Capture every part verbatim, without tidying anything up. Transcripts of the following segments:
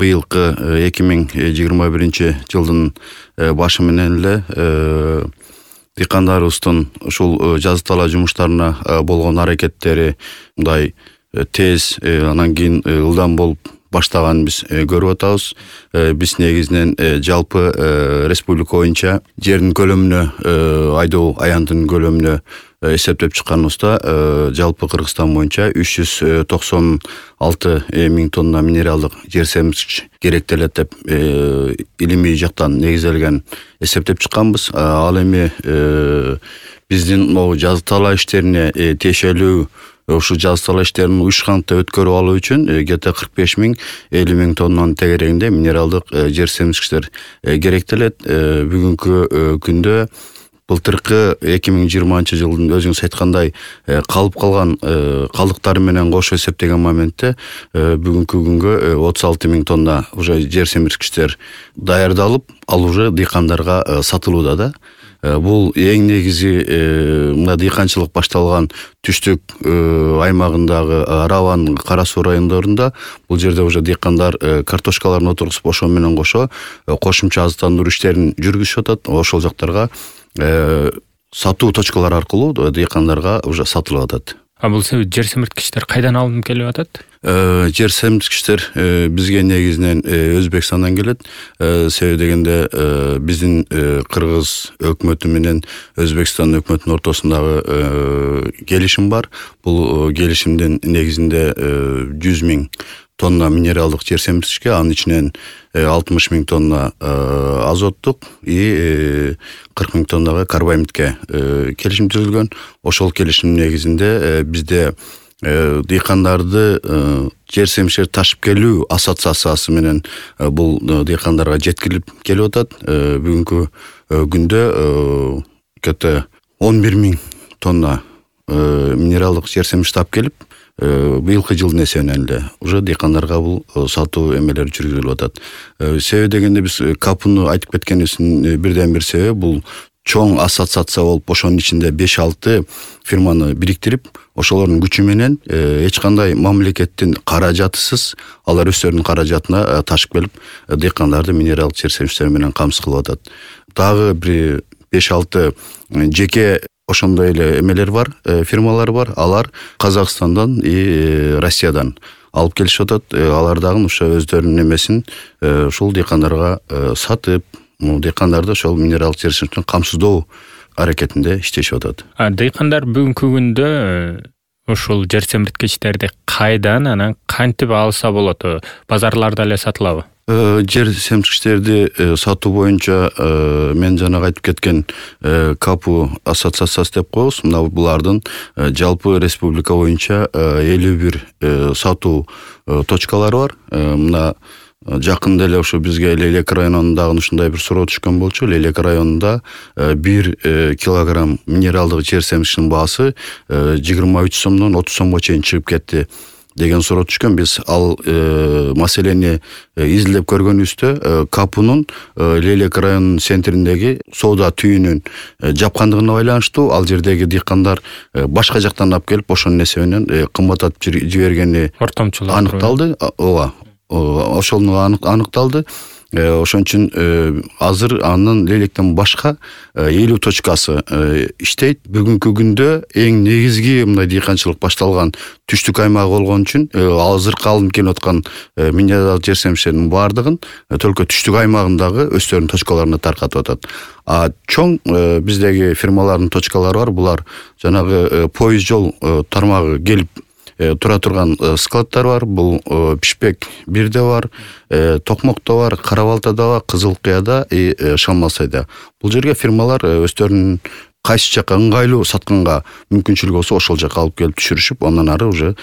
быйылкы эки миң жыйырма биринчи жылдын башы менен эле дыйкандарыбыздын ушул жазы талаа жумуштарына болгон аракеттери мындай тез, анан кийин ылдам болуп баштаганын биз көрүп атабыз. Биз негизинен жалпы республика боюнча жердин көлөмүнө, айдоо аяндын көлөмүнө эсептеп чыкканыбызда жалпы Кыргызстан боюнча үч жүз токсон алты миң тонна минералдык жер семирткич керектелет деп илимий жактан негизделген эсептеп чыкканбыз. Ал эми биздин могу жазы талаа иштерине тиешелүү ушул жазы талаа иштерин уюшкандыкта өткөрүп алуу үчүн где-то кырк беш миң элүү миң тоннанын тегерегинде минералдык жер семирткичтер керектелет. Бүгүнкү күндө былтыркы эки миң жыйырманчы жылдын өзүңүз айткандай калып калган калдыктары менен кошо эсептеген моментте бүгүнкү күнгө отуз алты миң тонна уже жер семирткичтер даярдалып, ал уже дыйкандарга сатылууда да. Бул эң негизи мына дыйканчылык башталган түштүк аймагындагы Араван, Кара Суу райондорунда бул жерде уже дыйкандар картошкаларын отургузуп ошо менен кошо кошумча азыктандыруу иштерин жүргүзүшүп атат. Ошол жактарга сатуу точкалары аркылуу дыйкандарга уже сатылып атат. А бул жер семирткичтер кайдан алынып келип атат? Жер семирткичтер бизге негизинен Өзбекстандан келет. Себеби дегенде биздин Кыргыз өкмөтү менен Өзбекстан өкмөтүнүн ортосундагы келишим бар. Бул келишимдин негизинде жүз миң тонна минералдык жер семирткичке, анын ичинен алтымыш миң тонна азоттук и кырк миң тоннага карбамидке келишим түзүлгөн. Ошол келишимдин негизинде бизде дыйкандарды жер семирткичтерди ташып келүү ассоциациясы менен бул дыйкандарга жеткирилип келип атат. Бүгүнкү күндө где-то он бир миң тонна минералдык жер семирткич таап келип, быйылкы жылдын эсебинен эле уже дыйкандарга бул сатуу эмелери жүргүзүлүп атат. Себеби дегенде биз капуну айтып кеткенибиздин бирден бир себеби бул чоң ассоциация болуп, ошонун ичинде беш алты фирманы бириктирип, ошолордун күчү менен эч кандай мамлекеттин каражатысыз алар өздөрүнүн каражатына ташып келип, дыйкандарды минералдык жер семирткичтер менен камсыз кылып атат. Дагы бир беш алты жеке ошондой эле эмелер бар, фирмалар бар. Алар Казакстандан и Россиядан алып келишип атат. Алар дагы ошо өздөрүнүн эмесин ушул дыйкандарга сатып, дыйкандарды ошол минералдык жер семирткичтен камсыздоо аракетинде иштешип атат. А дыйкандар бүгүнкү күндө ушул жер семирткичтерди кайдан, анан кантип алса болот? Базарларда эле сатылабы? Жер семирткичтерди сатуу боюнча мен жана айтып кеткен Капу ассоциациясы деп коебуз. Мына булардын жалпы республика боюнча элүү бир сатуу точкалары бар. Мына жакында эле ошо бизге Лелек районунан ушундай бир суроо түшкөн болчу. Лелек районунда бир килограмм минералдык жер семирткичтин баасы жыйырма үч сомдон отуз сомго чейин чыгып кетти деген суроо түшкөн. Биз ал маселени изилдеп көргөнүбүздө Капунун Лелек районунун центриндеги соода түйүнүн жапкандыгына байланыштуу ал жердеги дыйкандар башка жактан алып келип, ошонун эсебинен кымбаттатып жибергени ортомчулар аныкталды. Ооба, ошол аныкталды. Ошон үчүн азыр анын Лелектен башка элүү точкасы иштейт. Бүгүнкү күндө эң негизги мындай дыйканчылык башталган түштүк аймагы болгон үчүн азыркы алынып келип аткан минералдык жер семирткичтердин баардыгын только түштүк аймагындагы өздөрүнүн точкаларына таркатып атат. А чоң биздеги фирмалардын точкалары бар. Булар жанагы поезд жол тармагы келип тура турган складтар бар. Бул Пишпек бирде бар, Токмокто бар, Карабалтада бар, Кызыл Кыяда и Шалмасайда. Бул жерге фирмалар өздөрүнүн кайсы жакка ыңгайлуу сатканга мүмкүнчүлүгү болсо ошол жакка алып келип түшүрүшүп, андан ары уже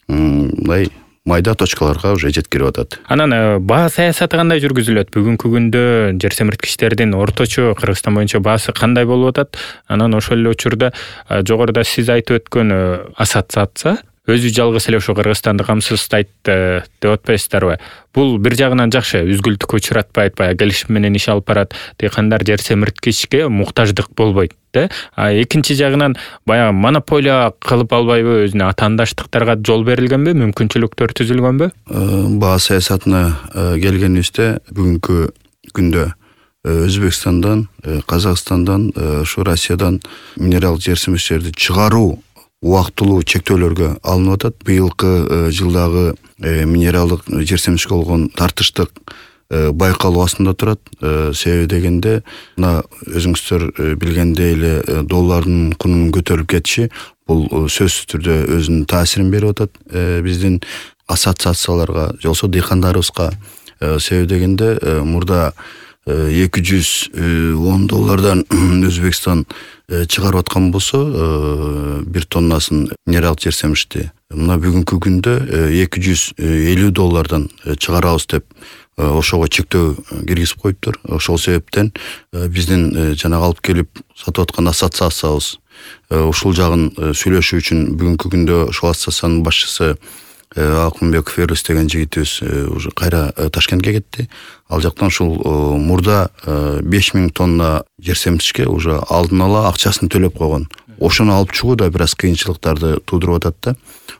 мындай майда точкаларга уже жеткирип атат. Анан баа саясаты кандай жүргүзүлөт? Бүгүнкү күндө жер семирткичтердин орточо Кыргызстан боюнча баасы кандай болуп атат? Анан ошол эле учурда жогоруда сиз айтып өткөн ассоциация өзү жалгыз эле ошо Кыргызстанды камсыздайт деп атпайсыздарбы? Бул бир жагынан жакшы, үзгүлтүккө учуратпайт, баягы келишим менен иш алып барат, дыйкандар жер семирткичке муктаждык болбойт да. А экинчи жагынан баягы монополия кылып албайбы, өзүнө атаандаштыктарга жол берилгенби, мүмкүнчүлүктөр түзүлгөнбү? Баа саясатына келгенибизде бүгүнкү күндө Өзбекстандан, Казакстандан, ошо Россиядан минерал жер семирткичтерди чыгаруу убактылуу чектөөлөргө алынып атат. Быйылкы жылдагы минералдык жер семирткичке болгон тартыштык байкалуу астында турат. Себеби дегенде, мына өзүңүздөр билгендей эле доллардын кунунун көтөрүлүп кетиши бул сөзсүз түрдө өзүнүн таасирин берип атат биздин ассоциацияларга, же болбосо дыйкандарыбызга. Себеби дегенде, мурда эки жүз он доллардан Өзбекстан чыгарып аткан болсо, бир тоннасын минерал жер семирткичти мына бүгүнкү күндө эки жүз элүү доллардан чыгарабыз деп ошого чектөө киргизип коюптур. Ошол себептен биздин жанагы алып келип сатып аткан ассоциациябыз ушул жагын сүйлөшүү үчүн бүгүнкү күндө ошол ассоциациянын башчысы Акунбеков Эрлис деген жигитибиз уже кайра Ташкентке кетти. Ал жактан ушул мурда беш миң тонна жер семирткичке уже алдын ала акчасын төлөп койгон. Ошону алып чыгуу да бир аз кыйынчылыктарды туудуруп атат да.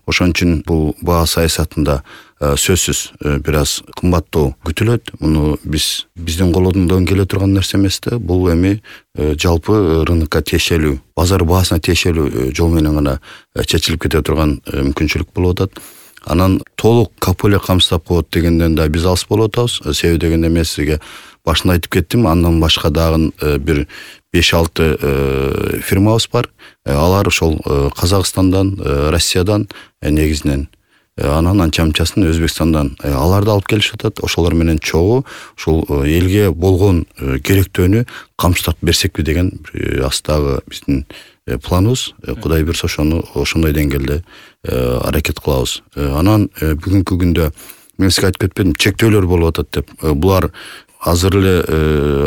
Ошон үчүн бул баа саясатында сөзсүз бир аз кымбаттоо күтүлөт. Муну биз биздин колдон келе турган нерсе эмес да. Бул эми жалпы рынокко тиешелүү, базар баасына тиешелүү жол менен гана чечилип кете турган мүмкүнчүлүк болуп атат. Анан толук каполе камсыздап коет дегенден да биз алыс болуп атабыз. Себеби дегенде мен сизге башында айтып кеттим, андан башка дагы бир беш алты фирмабыз бар. Алар ошол Казакстандан, Россиядан негизинен, анан анча-мынчасын Өзбекстандан аларды алып келишип атат. Ошолор менен чогуу ушул элге болгон керектөөнү камсыздап берсекпи деген астагы биздин планыбыз. Кудай буйрса ошону ошондой деңгээлде аракет кылабыз. Анан бүгүнкү күндө мен сизге айтып кетпедим, чектөөлөр болуп атат деп. Булар азыр эле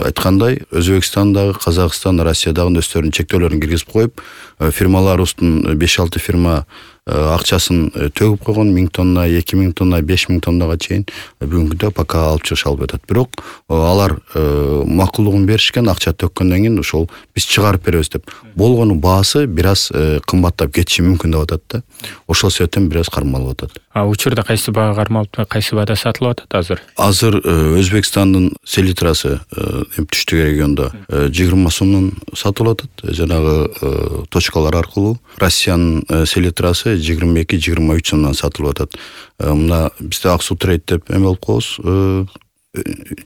айткандай Өзбекстандагы, Казакстан, Россиядагы өздөрүнүн чектөөлөрүн киргизип коюп, фирмаларыбыздын беш алты фирма акчасын төгүп койгон, миң тонна, эки миң тонна, беш миң тоннага чейин бүгүнкү пока алып чыгыша албай атат. Бирок алар макулдугун беришкен, акча төккөндөн кийин ошол биз чыгарып беребиз деп. Болгону баасы бир аз кымбаттап кетиши мүмкүн деп атат да. Ошол себептен бир аз кармалып атат. А учурда кайсы баага кармалып, кайсы баада сатылып атат азыр? Азыр Өзбекстандын селитрасы түштүк региондо жыйырма сомдон сатылып атат, жанагы точкалар аркылуу. Россиянын селитрасы жыйырма эки жыйырма үч сомдон сатылып атат. Мына бизде Аксу Трейд деп эме болуп коебуз,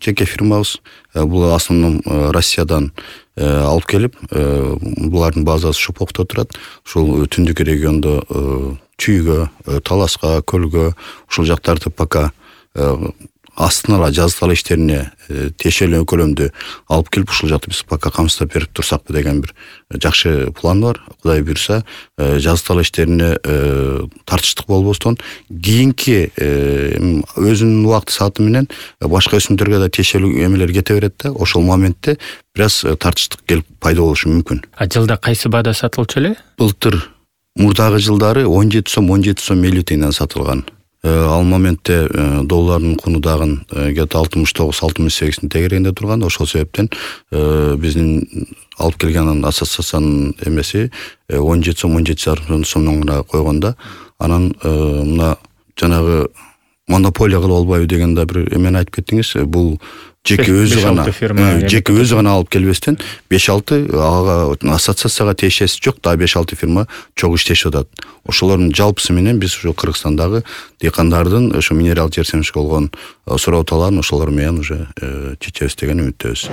жеке фирмабыз. Бул основном Россиядан алып келип, булардын базасы Шопокто турат. Ушул түндүк региондо Чүйгө, Таласка, Көлгө, ушул жактарды пока астына ала жаздала иштерине тиешелүү көлөмдү алып келип, ушул жакты биз пока камсыздап берип турсакпы деген бир жакшы план бар. Кудай буйрса, жаздала иштерине тартыштык болбостон, кийинки өзүнүн убакыт сааты менен башка өсүмдөргө да тиешелүү эмелер кете берет да. Ошол моментте бир аз тартыштык келип пайда болушу мүмкүн. А жылда кайсы баада сатылчу эле? Былтыр мурдагы жылдары он жети сом, он жети сом элүү тыйындан сатылган. Ал моментте доллардын куну дагы где-то алтымыш тогуз алтымыш сегиздин тегерегинде турган. Ошол себептен биздин алып келген ассоциациянын эмеси он жети сом, он жети жарым сомдон гана койгонда. Анан мына жанагы монополия кылып албайбы деген да бир эмени айтып кеттиңиз. Бул жеке өзү гана жеке өзү гана алып келбестен беш алты ага ассоциацияга тиешеси жок, да беш алты фирма чогуу иштешип атат. Ошолордун жалпысы менен биз ушу Кыргызстандагы дыйкандардын ошо минерал жер семирткичке болгон суроо талаарын ошолор менен уже чечебиз деген үмүттөбүз.